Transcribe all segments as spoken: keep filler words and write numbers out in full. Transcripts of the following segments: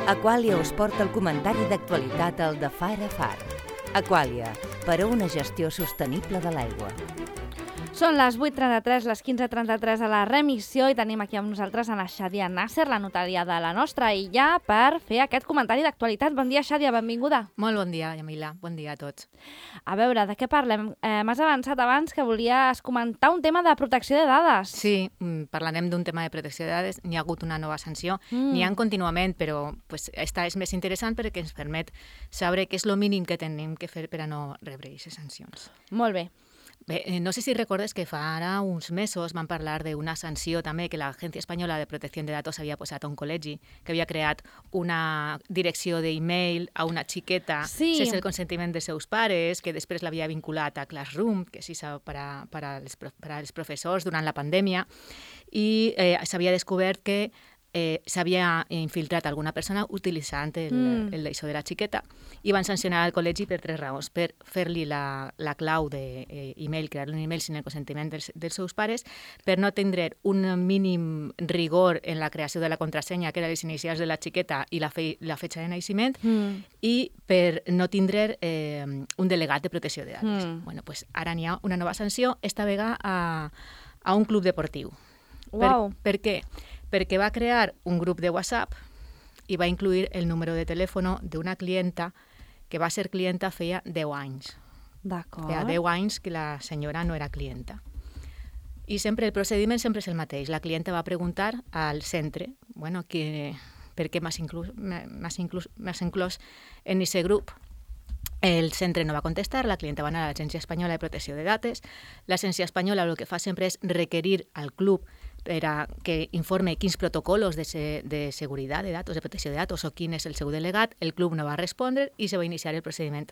Aquàlia us porta el comentari d'actualitat al de Far a Far. Aquàlia, per a una gestió sostenible de l'aigua. Són les vuit trenta-tres, les quinze trenta-tres a la remissió i tenim aquí amb nosaltres a la Xàdia Nasser, la notària de la nostra illa, per fer aquest comentari d'actualitat. Bon dia, Xàdia, benvinguda. Molt bon dia, Yamila. Bon dia a tots. A veure, de què parlem? Eh, M'has avançat abans que volies comentar un tema de protecció de dades. Sí, parlarem d'un tema de protecció de dades. N'hi ha hagut una nova sanció. Mm. N'hi ha contínuament, però pues, esta és més interessant perquè ens permet saber què és el mínim que tenim que fer per a no rebre aquestes sancions. Molt bé. Bé, no sé si recordes que fa ara uns mesos van parlar d'una sanció també que l'Agència Espanyola de Protecció de Datos havia posat a un col·legi, que havia creat una direcció d'e-mail a una xiqueta sí. sense el consentiment dels seus pares, que després l'havia vinculat a Classroom, que sí per a, per a, els, per als professors durant la pandèmia, i eh, s'havia descobert que Eh, s'havia infiltrat alguna persona utilitzant el, mm. el d'això de la xiqueta i van sancionar el col·legi per tres raons: per fer-li la, la clau d'e-mail, crear un e-mail sin el consentiment dels, dels seus pares, per no tindre un mínim rigor en la creació de la contrasenya, que eren les inicials de la xiqueta i la, fe, la fetxa de naixement, mm. i per no tindre eh, un delegat de protecció de dades. Mm. Bueno, pues ara n'hi ha una nova sanció, esta vegada a, a un club deportiu. Wow. Per, per què? Perquè va crear un grup de WhatsApp i va incluir el número de telèfon d'una clienta que va ser clienta feia deu anys. D'acord. Feia deu anys que la senyora no era clienta. I sempre el procediment sempre és el mateix. La clienta va preguntar al centre, bueno, que, per què m'has inclús, m'has inclús, m'has inclòs en aquest grup. El centre no va contestar, la clienta va anar a l'Agència Espanyola de Protecció de Dates. L'Agència Espanyola el que fa sempre és requerir al club per a que informe quins protocols de, se, de seguretat de datos, de protecció de datos o quin és el seu delegat. El club no va respondre i se va iniciar el procediment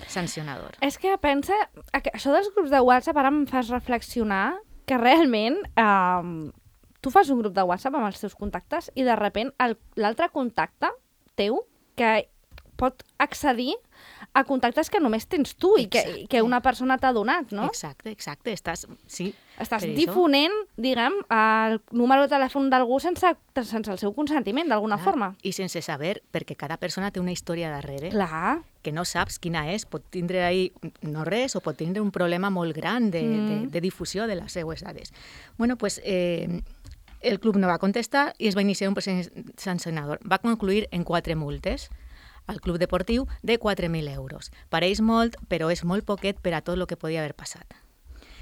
sancionador. És que pensa, això dels grups de WhatsApp ara em fas reflexionar que realment eh, tu fas un grup de WhatsApp amb els teus contactes i de sobte l'altre contacte teu que pot accedir a contactes que només tens tu i que, que una persona t'ha donat, no? Exacte, exacte. Estàs, sí, Estàs difonent, diguem, el número de telèfon d'algú sense, sense el seu consentiment, d'alguna forma. I sense saber, perquè cada persona té una història darrere. Clar. Que no saps quina és. Pot tindre ahí no res o pot tindre un problema molt gran de, mm. de, de difusió de les seues dades. Bueno, pues... Eh, el club no va contestar i es va iniciar un procés sancionador. Va concluir en quatre multes al club deportiu de quatre mil euros. Pareix molt, però és molt poquet per a tot el que podia haver passat.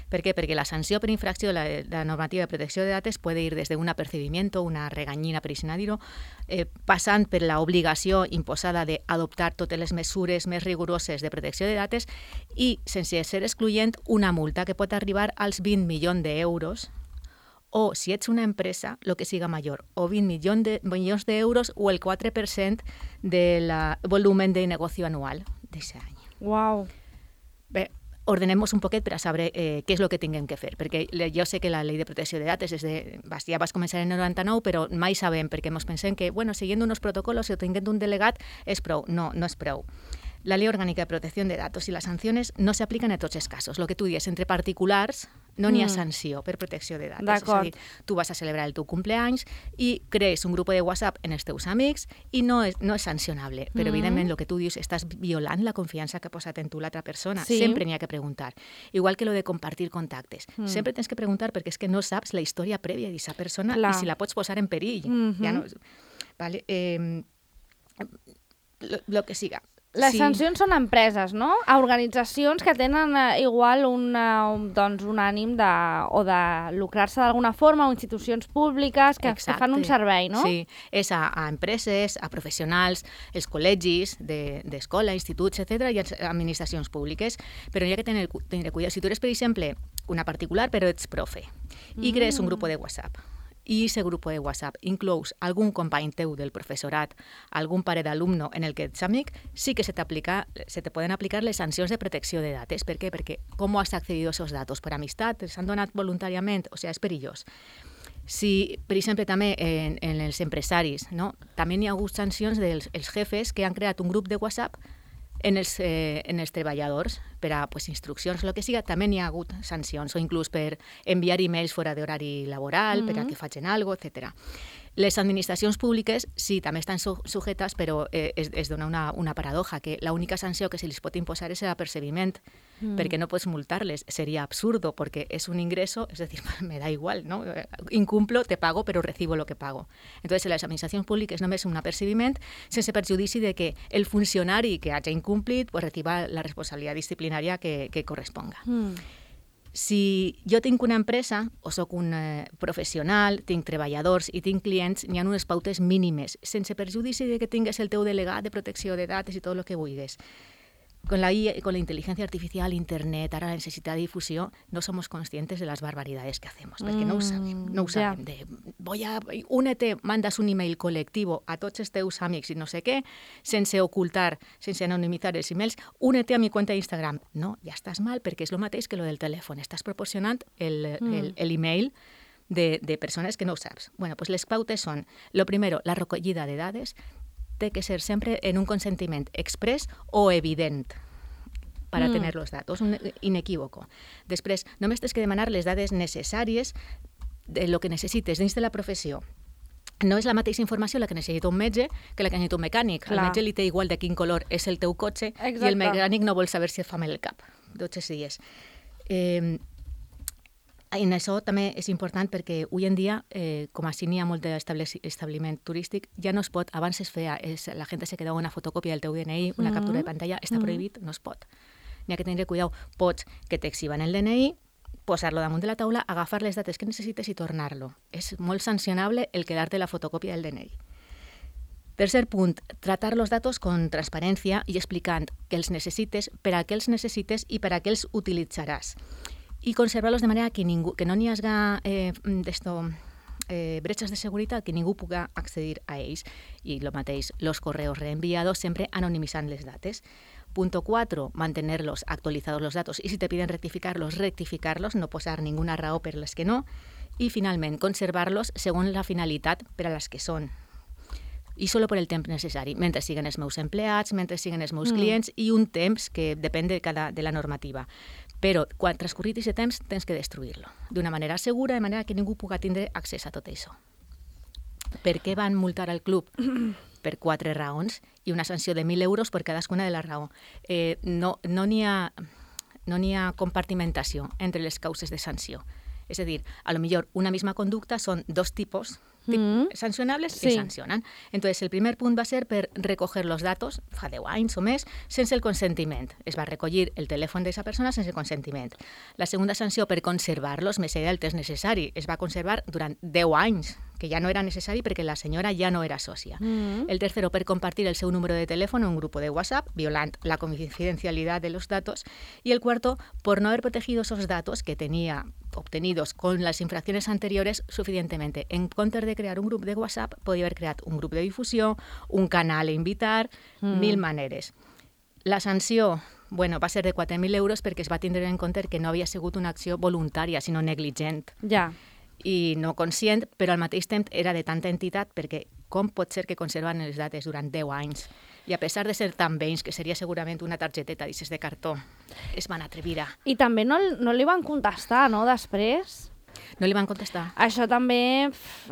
Per què? Perquè la sanció per infracció de la, de la normativa de protecció de datos puede ir desde un apercibimiento, una regañina, per així dir-ho, eh, passant per l'obligació imposada d'adoptar totes les mesures més rigoroses de protecció de datos i, sense ser excloent, una multa que pot arribar als vint milions d'euros o, si ets una empresa, el que siga major, o vint milions de, milions d'euros o el quatre per cent del volumen de negoci anual d'aquest any. Uau! Bé, ordenem-nos un poquet per a saber eh, què és el que tinguem que fer, perquè jo sé que la llei de protecció de datos és de, ja vas començar en el noranta-nou, però mai sabem, perquè ens pensem que, bueno, siguiendo unos protocolos o tenint un delegat és prou. No, no és prou. La Ley Orgánica de Protección de Datos y las sanciones no se aplican en tots els casos. Lo que tu dius, entre particulars no n'hi ha mm. sanció per protecció de datos. D'acord. És a dir, tu vas a celebrar el teu cumpleaños i crees un grup de WhatsApp en els teus amics i no és, no és sancionable. Però, mm. evidentment, el que tu dius, estàs violant la confiança que ha posat en tu l'altra persona. Sí. Sempre n'hi ha que preguntar. Igual que lo de compartir contactes. Mm. Sempre tens que preguntar perquè és que no saps la història prèvia d'aquesta persona Clar. I si la pots posar en perill. Mm-hmm. Ja no... Vale. Eh, lo, lo que siga. Les sí. sancions són a empreses, no? A organitzacions que tenen eh, igual una, un, doncs, un ànim de, o de lucrar-se d'alguna forma, o institucions públiques que, que fan un servei, no? Sí, és a, a empreses, a professionals, els col·legis d'escola, de, instituts, etcètera, i a administracions públiques. Però hi ha que tenir, tenir cuidado. Si tu eres, per exemple, una particular, però ets profe, i crees un grup de WhatsApp, i aquest grup de WhatsApp inclous algun company teu del professorat, algun pare d'alumno en el que ets amic, sí que se, se te poden aplicar les sancions de protecció de datos. Per què? Perquè com has accedido a esos datos? Per amistat? Els han donat voluntàriament? O sigui, és perillós. Si, per exemple, també en, en els empresaris, no? També hi ha hagut sancions dels els jefes que han creat un grup de WhatsApp en els, eh, en els treballadors per a pues, instruccions, el que siga, també n'hi ha hagut sancions, o inclús per enviar e-mails fora d'horari laboral, mm-hmm. per a que facin alguna cosa, etcètera. Les administracions públiques sí, també estan su sujetes, però eh, es, es dona una, una paradoja, que l'única sanció que se les pot imposar és l'apercebiment, mm. perquè no pots multar-les. Seria absurdo, perquè és un ingreso, és a dir, me da igual, ¿no? Incumplo, te pago, però recibo lo que pago. Entonces, les administracions públiques només un apercebiment sense perjudici de que el funcionari que hagi incomplit pues, reciba la responsabilitat disciplinària que, que corresponga. Mm. Si jo tinc una empresa o sóc un eh, professional, tinc treballadors i tinc clients, n'hi ha unes pautes mínimes, sense perjudici de que tingues el teu delegat de protecció de dades i tot el que vulguis. Con la, I A, con la inteligencia artificial, Internet, ara la necessitat de difusió, no somos conscientes de las barbaridades que hacemos, perquè no ho sabem. No ho sabem. De, voy a, únete, mandas un email colectivo a tots els teus amics i no sé què, sense ocultar, sense anonimitzar els emails, únete a mi cuenta d'Instagram. No, ja estàs mal, perquè és el mateix que lo del telèfon. Estàs proporcionant l'email de, de persones que no ho saps. Bueno, pues les pautes són, lo primero, la recollida de dades, té que ser sempre en un consentiment express o evident para mm. tener los datos, un inequívoco. Després, només tens que demanar les dades necessàries de lo que necessites dins de la professió. No és la mateixa informació la que necessita un metge que la que necessita un mecànic. Clar. Al metge li té igual de quin color és el teu cotxe. Exacte. I el mecànic no vol saber si et fa mal el cap. Tots els dies. Eh, En això també és important perquè avui en dia, eh, com així n'hi ha molt d'establiment turístic, ja no es pot, abans es feia, es, la gent se quedava una fotocòpia del teu D N I, una mm -hmm. captura de pantalla, està prohibit, no es pot. N'hi ha que tenir cuidado, pots que t'exhiben el D N I, posar-lo damunt de la taula, agafar les dates que necessites i tornar-lo. És molt sancionable el quedar-te la fotocòpia del D N I. Tercer punt, tratar los datos con transparència i explicant que els necessites, per a què els necessites i per a què els utilitzaràs. I conservar-los de manera que, ningú, que no n'hi hagi eh, eh, bretxes de seguretat, que ningú pugui accedir a ells. I el mateix, los correos reenviados, sempre anonimitzant les dates. Punto cuatro, mantenerlos actualizados los datos. Y si te piden rectificarlos, rectificarlos, no posar ninguna raó per les que no. I, finalment, conservar-los segons la finalitat per a les que són. I solo per el temps necessari, mentre siguen els meus empleats, mentre siguen els meus mm. clients, i un temps que depèn de, cada, de la normativa. Però quan transcorrit aquest temps tens que destruir-lo d'una manera segura, de manera que ningú pugui tindre accés a tot això. Per què van multar al club? Per quatre raons i una sanció de mil euros per cadascuna de la raó. Eh, no no n'hi ha, no n'hi ha compartimentació entre les causes de sanció. És a dir, a lo millor una misma conducta són dos tipos Mm. sancionables sí. que sancionan. Entonces, el primer punt va ser per recoger los datos, fa deu anys o més, sense el consentiment. Es va recollir el telèfon d'aquesta persona sense consentiment. La segunda sanció per conservar-los més enllà del temps necessari. Es va conservar durant deu anys, que ja no era necessari perquè la senyora ja no era sòcia. Mm. El tercero, per compartir el seu número de telèfon en un grupo de WhatsApp, violant la confidencialidad de los datos. Y el cuarto, por no haber protegido esos datos que tenía obtenidos con las infracciones anteriores suficientemente. En comptes de crear un grup de WhatsApp, podria haver creat un grup de difusió, un canal a invitar, mm. mil maneres. La sanció, bueno, va ser de quatre mil euros perquè es va tindre en compte que no havia sigut una acció voluntària, sinó negligent. Ja. I no conscient, però al mateix temps era de tanta entitat perquè com pot ser que conserven les dates durant deu anys? I a pesar de ser tan vells, que seria segurament una targeteta d'aixes de cartó, es van atrevir a... I també no, no li van contestar, no, després? No li van contestar. Això també, pff,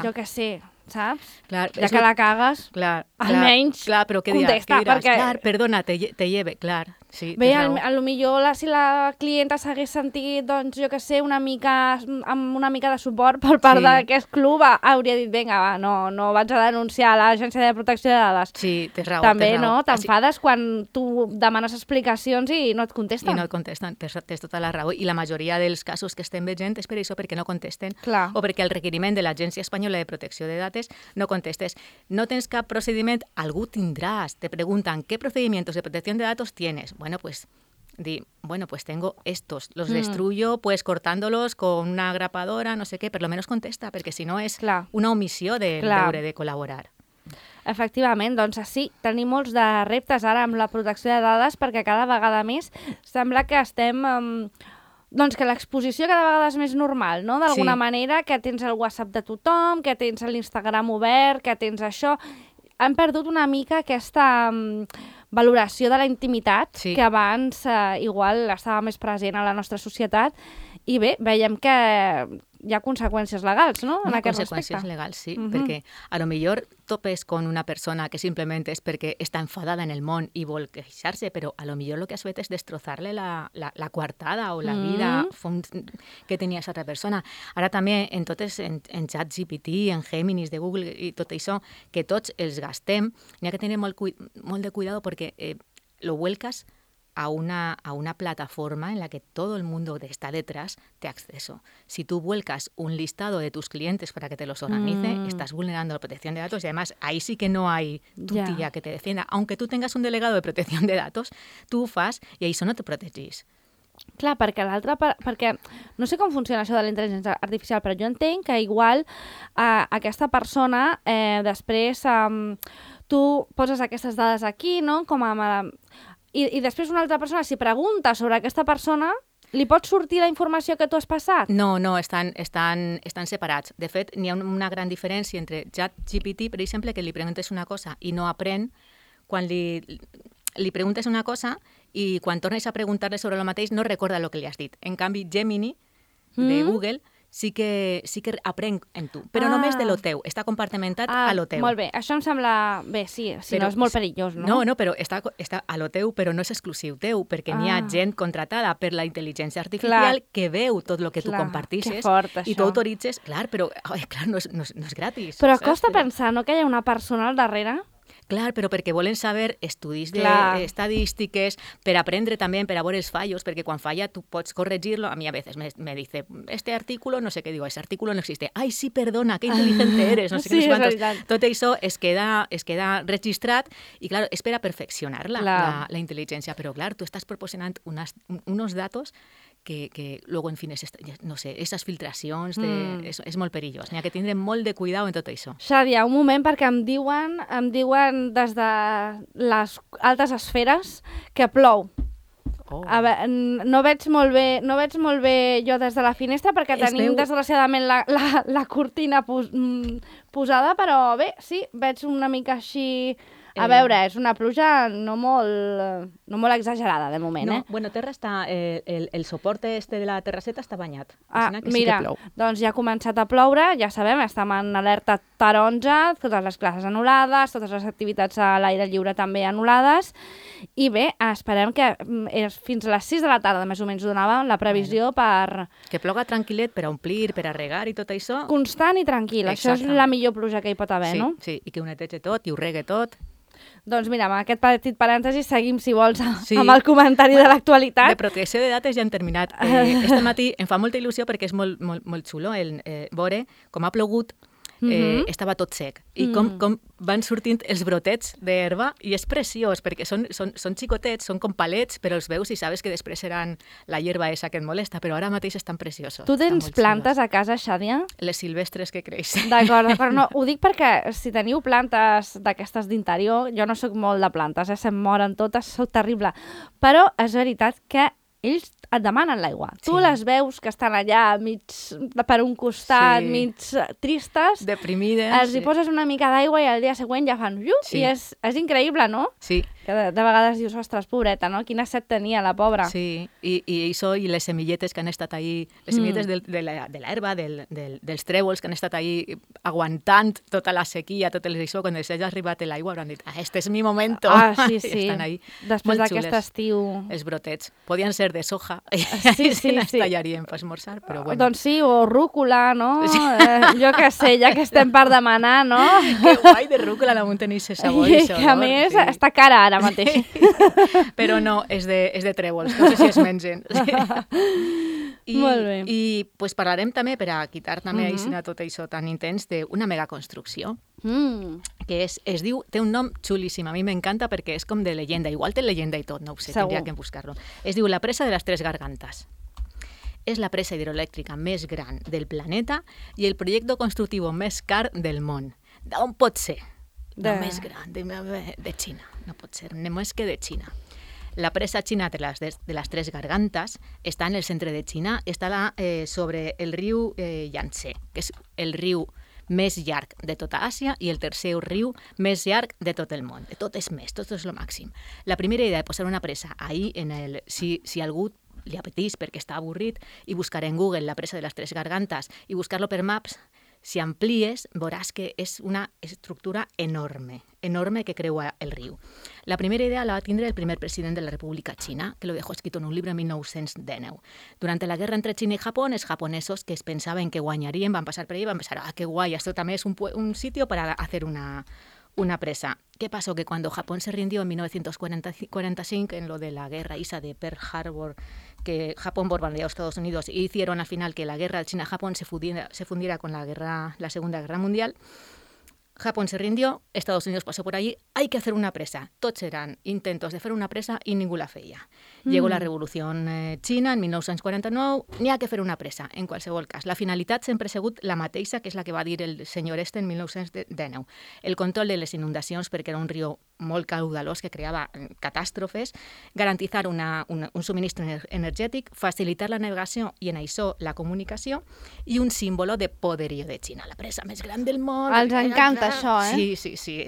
jo què sé, saps? Clar, ja que la cagues, clar, almenys clar, però què diràs? contesta. Què diràs? Perquè... Clar, perdona, te, te lleve, clar. Sí, bé, a, a lo millor la, si la clienta s'hagués sentit, doncs, jo què sé, una mica, amb una mica de suport per part sí. d'aquest club, hauria dit, vinga, va, no, no vaig a denunciar a l'Agència de Protecció de Dades. Sí, tens raó. També, tens raó. no? T'enfades quan tu demanes explicacions i no et contesten. I no et contesten, tens, tens tota la raó. I la majoria dels casos que estem veient és per això, perquè no contesten. Clar. O perquè el requeriment de l'Agència Espanyola de Protecció de Dades no contestes. No tens cap procediment, algú tindràs. Te preguntan, ¿qué procedimientos de protección de datos tienes? Bueno, pues... Di, bueno, pues tengo estos, los mm. destruyo pues cortándolos con una grapadora, no sé què, per lo menos contesta, perquè si no és Clar. una omissió de deure de col·laborar. Efectivament, doncs sí, tenim molts de reptes ara amb la protecció de dades perquè cada vegada més sembla que estem... Um, doncs que l'exposició cada vegada és més normal, no? D'alguna sí. manera, que tens el WhatsApp de tothom, que tens l'Instagram obert, que tens això... Han perdut una mica aquesta um, valoració de la intimitat sí. que abans eh, igual estava més present a la nostra societat i bé, veiem que hi ha conseqüències legals, no? En Hi ha aquest conseqüències respecte. legals, sí, Mhm. perquè a lo millor topes con una persona que simplement és perquè està enfadada en el món i vol queixar-se, però a lo millor lo que has fet és destrozar-le la, la, la coartada o la vida Mm. que tenia aquesta altra persona. Ara també en totes, en, en ChatGPT, en Géminis de Google i tot això, que tots els gastem, n'hi ha que tenir molt, cui molt de cuidado perquè eh, lo vuelcas a una, a una plataforma en la que todo el mundo que está detrás te acceso. Si tú vuelcas un listado de tus clientes para que te los organice, Mm. estás vulnerando la protección de datos y además ahí sí que no hay tu Ya. tía que te defienda. Aunque tú tengas un delegado de protección de datos, tú ho fas i això no te protegís. Clar, perquè l'altre... Per, perquè no sé com funciona això de la intel·ligència artificial, però jo entenc que igual eh, aquesta persona eh, després eh, tu poses aquestes dades aquí, no? Com a... I, I després una altra persona, si pregunta sobre aquesta persona, li pot sortir la informació que tu has passat? No, no, estan, estan, estan separats. De fet, n'hi ha una gran diferència entre ChatGPT, per exemple, que li preguntes una cosa i no aprèn, quan li, li preguntes una cosa i quan tornes a preguntar-li sobre el mateix no recorda el que li has dit. En canvi, Gemini, de Mm. Google, sí que, sí que aprèn en tu, però Ah. només de lo teu. Està compartimentat Ah, a lo teu. molt bé. Això em sembla... Bé, sí, si Però- no és molt perillós, no? No, no, però està, està a lo teu, però no és exclusiu teu, perquè n'hi ha Ah. gent contratada per la intel·ligència artificial Clar. que veu tot el que tu Clar, compartisses que fort, i això. tu autoritzes. Clar, però ai, clar, no, és, no, és, no és gratis. Però saps? costa pensar, no?, que hi ha una persona al darrere. Clar, però perquè volen saber estudis Clar. d'estadístiques, per aprendre també, per a veure els fallos, perquè quan falla tu pots corregir-lo. A mi a veces me, me dice, este artículo, no sé què digo, ese artículo no existe. Ai, sí, perdona, que inteligente eres, no sé Sí, què, no sé és quantos. veritat. Tot això es queda, es queda registrat i, clar, és per a perfeccionar la, Clar. la, la intel·ligència. Però, clar, tu estàs proporcionant unas, unos datos que, que luego, en fin, es, no sé, esas filtracions, de, Mm. és, és molt perillós. N'hi ha que tindre molt de cuidado en tot això. Xadia, un moment, perquè em diuen, em diuen des de les altes esferes que plou. Oh. A veure, no veig molt bé, no veig molt bé jo des de la finestra perquè Es tenim veu- desgraciadament la, la, la cortina pos, mm, posada, però bé, sí, veig una mica així... A Eh. veure, és una pluja no molt, no molt exagerada de moment, No, eh? bueno, terra està, eh, el, el soporte este de la terrasseta està banyat. Ah, Així que mira, sí que plou. doncs ja ha començat a ploure, ja sabem, estem en alerta taronja, totes les classes anul·lades, totes les activitats a l'aire lliure també anul·lades, i bé, esperem que mm, és fins a les sis de la tarda, més o menys, donava la previsió per Que ploga tranquil·let per a omplir, per a regar i tot això. constant i tranquil. Això és Exactament. la millor pluja que hi pot haver, sí, no? sí, i que ho neteja tot i ho regue tot. Doncs mira, amb aquest petit parèntesi seguim, si vols, Sí. amb el comentari de l'actualitat. De protecció de dades ja hem terminat. Eh, este matí em fa molta il·lusió perquè és molt, molt, molt xulo el eh, veure com ha plogut, eh, Mhm. estava tot sec. I com, Mm. com van sortint els brotets d'herba, i és preciós, perquè són, són, són xicotets, són com palets, però els veus i sabes que després seran la hierba esa que et molesta, però ara mateix estan preciosos. Tu estan tens molt plantes xulos. a casa, Xadia? Les silvestres que creixen. D'acord, d'acord. No, ho dic perquè si teniu plantes d'aquestes d'interior, jo no sóc molt de plantes, eh? Se'm moren totes, sóc terrible. Però és veritat que ells et demanen l'aigua. Tu Sí. les veus que estan allà mig per un costat, Sí. mig tristes, Deprimides. els hi poses una mica d'aigua i al dia següent ja fan llup, Sí. i és, és increïble, no? Sí, Que de, de vegades dius, ostres, pobreta, no? Quina set tenia la pobra. sí. I, i això i les semilletes que han estat ahí, les Mm. semilletes del, de la- de l'herba, del, del, dels trèvols que han estat ahí aguantant tota la sequia, tot el això, quan els hagi arribat l'aigua, hauran dit, ah, este és mi momento. Ah, sí, I sí. estan ahí. Després molt d'aquest xules. estiu... Els brotets. Podien ser de soja, Sí, i sí, se les sí. tallarien per esmorzar, però bueno. Doncs sí, o rúcula, no? Sí. Eh, jo què sé, ja que estem per demanar, no? Que guai de rúcula la montanissa sabor i I que a olor, més sí. està cara ara mateix. Però no, és de, és de trèvols, no sé si es mengen. I, Molt bé. I pues, parlarem també, per a quitar també Mhm. uh -huh. tot això tan intens, d'una megaconstrucció, Mm, que és, es diu, té un nom xulíssim, a mi m'encanta perquè és com de leyenda, igual té leyenda i tot, no ho sé, Segur. tindria que buscar-lo. Es diu la presa de les Tres Gargantas. És la presa hidroelèctrica més gran del planeta i el projecte constructiu més car del món. D'on pot ser? De- Només gran, de, de Xina. No pot ser, només que de Xina. La presa xina de les, de les Tres Gargantas està en el centre de Xina, està la, eh, sobre el riu eh, Yangtze, que és el riu més llarg de tota Àsia i el tercer riu més llarg de tot el món. De tot és més, tot és el màxim. La primera idea de posar una presa ahí, en el, si, si algú li apetís perquè està avorrit, i buscar en Google la presa de les Tres Gargantes i buscar-lo per Maps, si amplies, veuràs que és una estructura enorme, enorme que creua el riu. La primera idea la va tindre el primer president de la República Xina, que lo dejó escrito en un libro en mil nou-cents dinou. Durante la guerra entre China y Japón, els japonesos que es pensaven que guanyarien van passar per allà i van pensar, ah, qué guay, esto també és un, un sitio para hacer una, una presa. ¿Qué pasó? Que cuando Japón se rindió en mil novecientos cuarenta y cinco, en lo de la guerra esa de Pearl Harbor, que Japón bombardeó a Estados Unidos y hicieron al final que la guerra China-Japón se fundiera, se fundiera con la, guerra, la Segunda Guerra Mundial, Japón se rindió, Estados Unidos pasó por allí, hay que hacer una presa. Tots eran intentos de fer una presa i ningú la feia. Mm. Llegó la Revolució eh, Xina en mil nou-cents quaranta-nou, n'hi ha que fer una presa, en qualsevol cas. La finalitat sempre ha sigut la mateixa, que és la que va dir el senyor este en mil nou-cents dinou. El control de les inundacions, perquè era un riu molt caudalós que creava catàstrofes, garantitzar una, una, un subministre energètic, facilitar la navegació i en això la comunicació, i un símbolo de poderío de Xina, la presa més gran del món. Els encanta això, eh? Sí, sí, sí.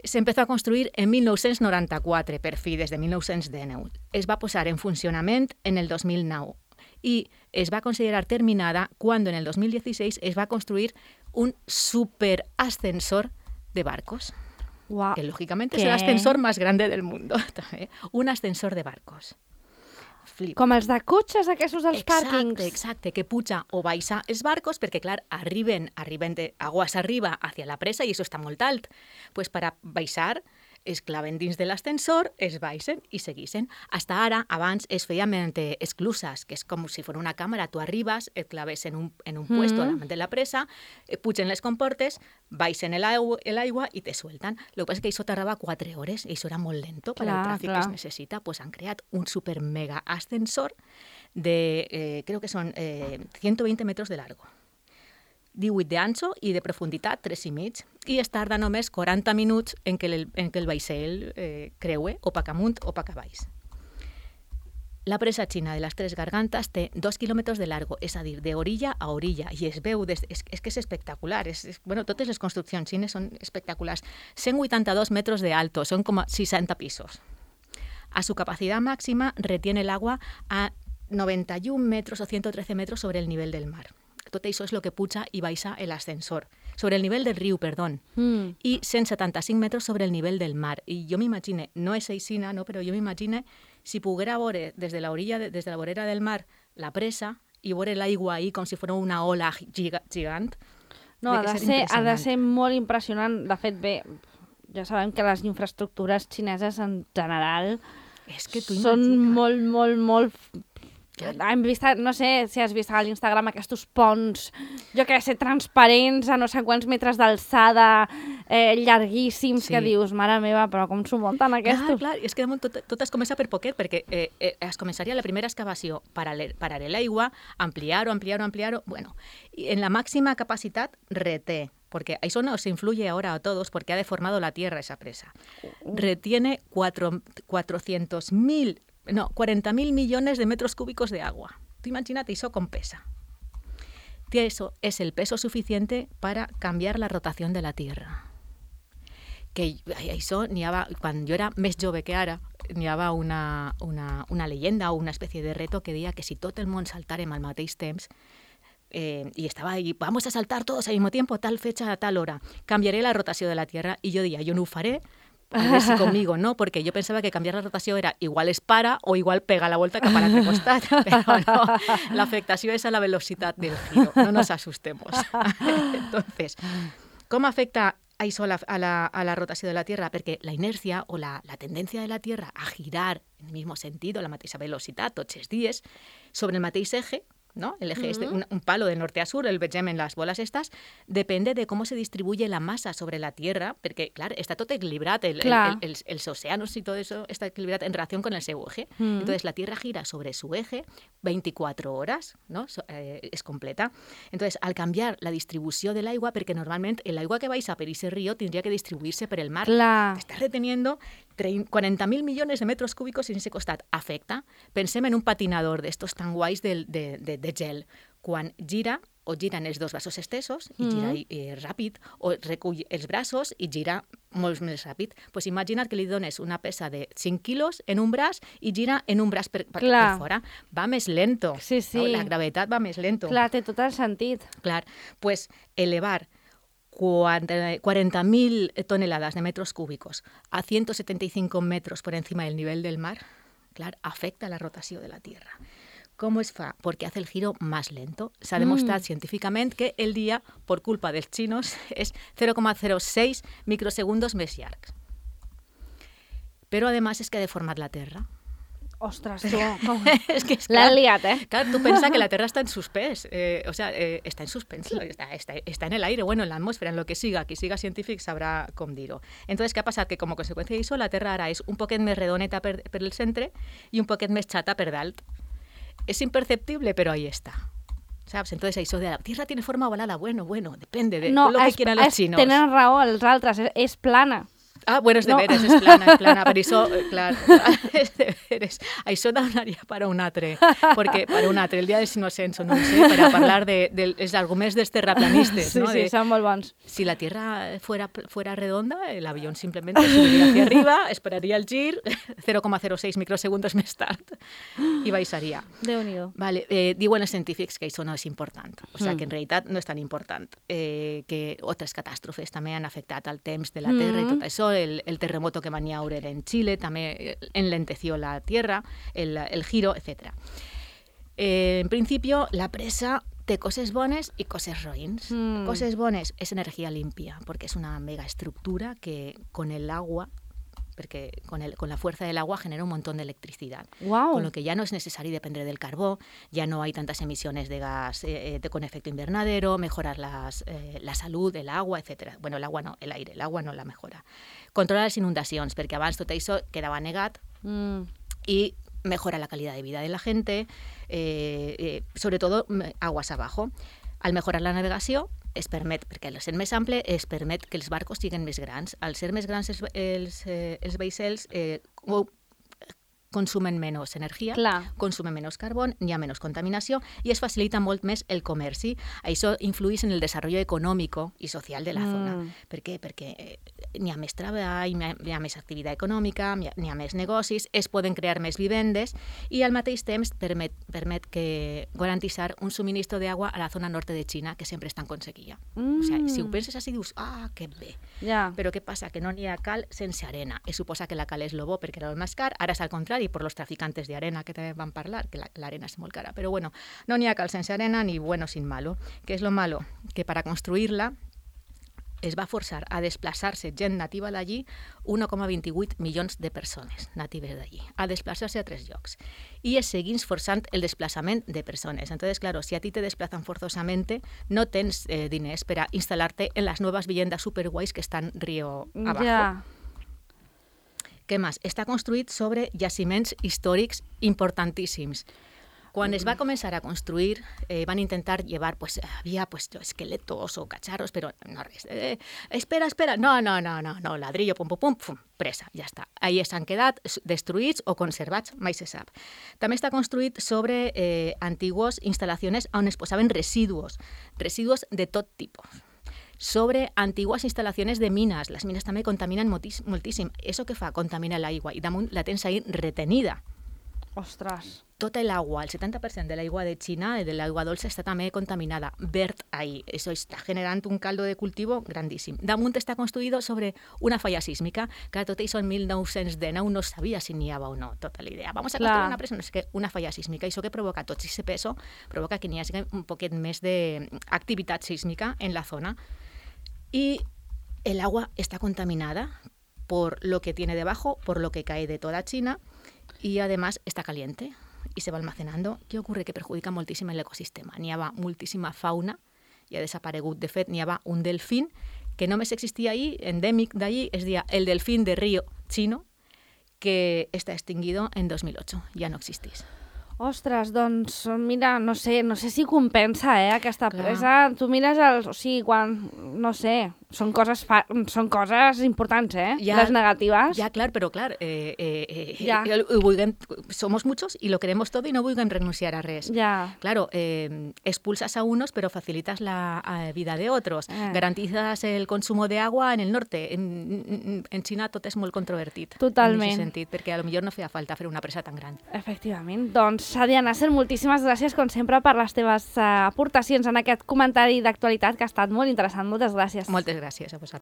Se empezó a construir en mil nou-cents noranta-quatre, per fi, des de mil nou-cents dinou. Es va posar en funcionament en el dos mil nou i es va considerar terminada quan en el dos mil dieciséis es va construir un superascensor de barcos. Wow. Que lógicamente ¿Qué? Es el ascensor más grande del mundo. Un ascensor de barcos. Flip. Com els de cotxes aquests dels exacte, pàrquings. Exacte, que puja o baixa els barcos perquè, clar, arriben, arriben de, aguas arriba hacia la presa i això està molt alt. Pues para baixar es claven dins de l'ascensor, es baixen i segueixen. Hasta ara, abans, es feia mediante esclusas, que és com si fos una càmera. Tu arribes, et claves en un, en un mm. puesto davant de la presa, pugen les comportes, baixen l'aigua i te suelten. Lo que passa és que això tardava quatre hores i això era molt lento per al tràfic que es necessita. Pues han creat un super mega ascensor de, eh, creo que son eh, ciento veinte metros de largo. divuit d'ancho i de profunditat tres i mig, i es tarda només quaranta minuts en que el, en que el vaixell eh, creue o pa amunt o pa baix. La presa xina de les Tres Gargantes té dos quilòmetres de largo, és a dir, de orilla a orilla, i es veu, des, és, és que és espectacular. És, és, bueno, totes les construccions xines són espectaculars. cent vuitanta-dos metros de alto, són com seixanta pisos. A su capacidad máxima retiene el agua a noventa y un metros o ciento trece metros sobre el nivel del mar. Tot això és el que puja i baixa l'ascensor. Sobre el nivell del riu, perdó. Mm. I cent setanta-cinc metres sobre el nivell del mar. I jo m'imagine, no és aixina, no, però jo m'imagine si poguera veure des de la orilla, des de la vorera del mar, la presa i veure l'aigua ahí com si fos una ola giga, gigant. No, ha de, ser, ha de ser molt impressionant. De fet, bé, ja sabem que les infraestructures xineses en general és que tu són imagina. molt, molt, molt... Hem vist, no sé si has vist a l'Instagram aquests ponts, jo què sé, transparents a no sé quants metres d'alçada, eh, llarguíssims, sí. Que dius, mare meva, però com s'ho munten aquests? Clar, clar, és que tot, tot es comença per poquet, perquè eh, eh, es començaria la primera excavació, parar l'aigua, ampliar-ho, ampliar-ho, ampliar-ho, bueno, i en la màxima capacitat reté, porque eso nos influye ahora a todos porque ha deformado la tierra esa presa. Retiene cuatrocientos mil No, cuarenta mil millones de metros cúbicos de agua. Tú imagínate eso con pesa. Eso es el peso suficiente para cambiar la rotación de la Tierra. Que això n'hi havia, quan jo era més jove que ara, n'hi havia una, una, una leyenda o una especie de reto que deia que si tot el món saltàrem al mateix temps, eh, i estava ahí, vamos a saltar todos al mismo tiempo, tal fecha, a tal hora, canviaré la rotació de la Tierra, i jo deia, jo no ho faré, a ver si conmigo no, porque yo pensaba que cambiar la rotació era igual es para o igual pega la vuelta cap a l'altre costat, però no, l'afectació és a la velocitat del giro, no nos asustemos. Entonces, ¿cómo afecta això a la, a la, a la rotació de la Tierra? Perquè la inercia o la, la tendencia de la Tierra a girar en el mismo sentido, la mateixa velocitat, tots els dies, sobre el mateix eje, ¿no? El eje uh-huh. es de un, un palo de norte a sur, el vegem en las bolas estas, depende de cómo se distribuye la masa sobre la Tierra, perquè, clar, està tot equilibrat, el, el, el, el, els océanos y todo eso está equilibrat en relación con el seu eje. Uh-huh. Entonces, la Tierra gira sobre su eje veinticuatro horas, ¿no? So, eh, es completa. Entonces, al canviar la distribució de l'aigua, perquè normalment l'aigua que baixa per ese río tindria que distribuir-se per el mar. Clar. Està reteniendo cuarenta mil millones de metros cúbicos en ese costat. Afecta. Pensem en un patinador d'estos tan guais de, de, de, de gel. Quan gira, o giren els dos braços estesos, i gira mm-hmm. eh, ràpid, o recull els braços i gira molt més ràpid. Pues imagina't que li dones una pesa de cinc quilos en un braç i gira en un braç per, per, per fora. Va més lento. Sí, sí. No? La gravetat va més lento. Clar, té tot el sentit. Clar, pues elevar cuarenta mil toneladas de metros cúbicos a ciento setenta y cinco metros por encima del nivel del mar, clar, afecta la rotació de la Tierra. ¿Cómo es fa? Porque hace el giro más lento. Se ha demostrat mm. científicament que el dia, por culpa dels xinos, és cero coma zero seis microsegundos més llarg. Però, además, és que ha deformat la Terra. Ostres, tu, com... és que, l'han liat, eh? Clar, tu pensa que la Terra està en suspens, eh, o sea, eh, està en suspens, està, està, està en el aire, bueno, en l'atmosfera, en lo que siga, qui siga científic sabrà com dir-ho. Entonces, què ha passat? Que com a conseqüència d'això, la Terra ara és un poquet més redoneta per, per el centre i un poquet més xata per dalt. És imperceptible, però ahí està. ¿Sabes? Entonces, eso de la Tierra tiene forma ovalada, bueno, bueno, depende de no, lo que es, quieran los es, chinos. Tenen raó els altres, és, és plana. Ah, bueno, és de no. veres, és plana, és plana, per això, clar, és de veres. Això donaria per a un altre, perquè per a un altre, el dia dels innocents, no ho sé, per a parlar dels de, de, arguments dels terraplanistes, sí, ¿no? Sí, de, són molt bons. Si la Tierra fuera, fuera redonda, el avión simplemente subiría hacia arriba, esperaría el gir, cero coma zero seis microsegundos més tard, i baixaria. Déu-n'hi-do. Vale, eh, diuen els científics que això no és important, o sigui, mm. que en realitat no és tan important, eh, que altres catàstrofes també han afectat el temps de la Terra mm. i tot això. El, el terremoto que van a haber en Chile también enlenteció la tierra, el, el giro, etcétera. Eh, en principio, la presa té coses bones i coses roïns. Mm. Coses bones és energia limpia, perquè és una megaestructura que con el agua, porque con, el, con la fuerza del agua genera un montón de electricidad. Wow. Con lo que ya no es necesario depender del carbón, ya no hay tantas emisiones de gas eh, de, con efecto invernadero, mejorar las, eh, la salud, el agua, etcétera. Bueno, el agua no, el aire, el agua no la mejora. Controla les inundacions, perquè abans tot això quedava negat mm. i mejora la calidad de vida de la gente, eh, eh, sobre todo aguas abajo. Al mejorar la navegació, es permet, perquè al ser més ample, es permet que els barcos siguin més grans. Al ser més grans els, els, eh, els vaixells, eh, consumen menys energia, Clar. consumen menys carbó, hi ha menys contaminació i es facilita molt més el comerci. Això influeix en el desenvolupament econòmic i social de la mm. zona. Per què? Perquè n'hi ha més treball, n'hi ha més activitat econòmica, n'hi ha més negocis, es poden crear més vivendes i al mateix temps permet, permet que garantitzar un subministro d'aigua a la zona norte de Xina, que sempre està en conseguia. Mm. O sigui, si ho penses així, dius, ah, que bé. Yeah. Però què passa? Que no n'hi ha cal sense arena. Es suposa que la cal és lo bo perquè era el més car, ara és al contrari, por los traficantes de arena que también van a hablar, que la, la arena es muy cara. Pero bueno, no ni a cal sense arena ni bueno sin malo. ¿Qué es lo malo? Que para construirla es va forçar a desplaçar-se gent nativa d'allí un coma vint-i-vuit milions de persones natives d'allí, a desplaçar-se a tres llocs. I es seguís forçant el desplaçament de persones. Entonces, claro, si a ti te desplazan forzosamente, no tens eh, diners per a instal·lar-te en les noves viviendas superguais que estan río abajo. Yeah. Què més? Està construït sobre jaciments històrics importantíssims. Quan es va començar a construir, eh, van intentar llevar, pues, había pues, esqueletos o cacharros, pero no res. Eh, espera, espera, no, no, no, no, no, ladrillo, pum, pum, pum, pum, presa, ja està. Ahí s'han quedat destruïts o conservats, mai se sap. També està construït sobre eh, antigues instal·lacions on es posaven residus, residus de tot tipus. Sobre antigues instal·lacions de mines. Les mines també contaminen moltíssim. Això què fa? Contamina l'aigua i damunt la tens ahí retenida. Ostres. Tota l'aigua, el setanta per cent de l'aigua de Xina, de l'aigua dolça, està també contaminada, verd ahí. Això està generant un caldo de cultivo grandíssim. Damunt està construït sobre una falla sísmica, que tot això en mil nou-cents dinou no sabia si n'hi havia o no, tota la idea. Vamos a construir una presa, no sé què, una falla sísmica. Això que provoca tot ese peso, provoca que n'hi hagi un poquet més d'activitat sísmica en la zona. Y el agua está contaminada por lo que tiene debajo, por lo que cae de toda China y además está caliente y se va almacenando. ¿Qué ocurre? Que perjudica moltíssim l'ecosistema. N'hi havia moltíssima fauna i ha desaparegut. De fet, n'hi havia un delfín que només existia ahí, endèmic d'allí, es deia el delfín de río chino, que està extinguido en dos mil ocho. Ja no existís. Ostres, doncs, mira, no sé, no sé si compensa, eh, aquesta presa. Tu mires els... O sigui, quan, no sé, són coses, fa... són coses importants, eh? Ya, les negatives. Ya, claro, pero claro, eh, eh, Ya. eh, vulguem, somos muchos y lo queremos todo y no vulguem renunciar a res. Ya. Claro, eh, expulsas a unos, pero facilitas la eh, vida de otros. Eh. Garantizas el consumo de agua en el norte. En, en, en Xina tot és molt controvertit. Totalment. En aquest sentit, perquè a lo millor no feia falta fer una presa tan gran. Efectivament. Doncs, Sadia Nasser, moltíssimes gràcies, com sempre, per les teves uh, aportacions en aquest comentari d'actualitat que ha estat molt interessant. Moltes gràcies. Moltes gràcies a vosaltres.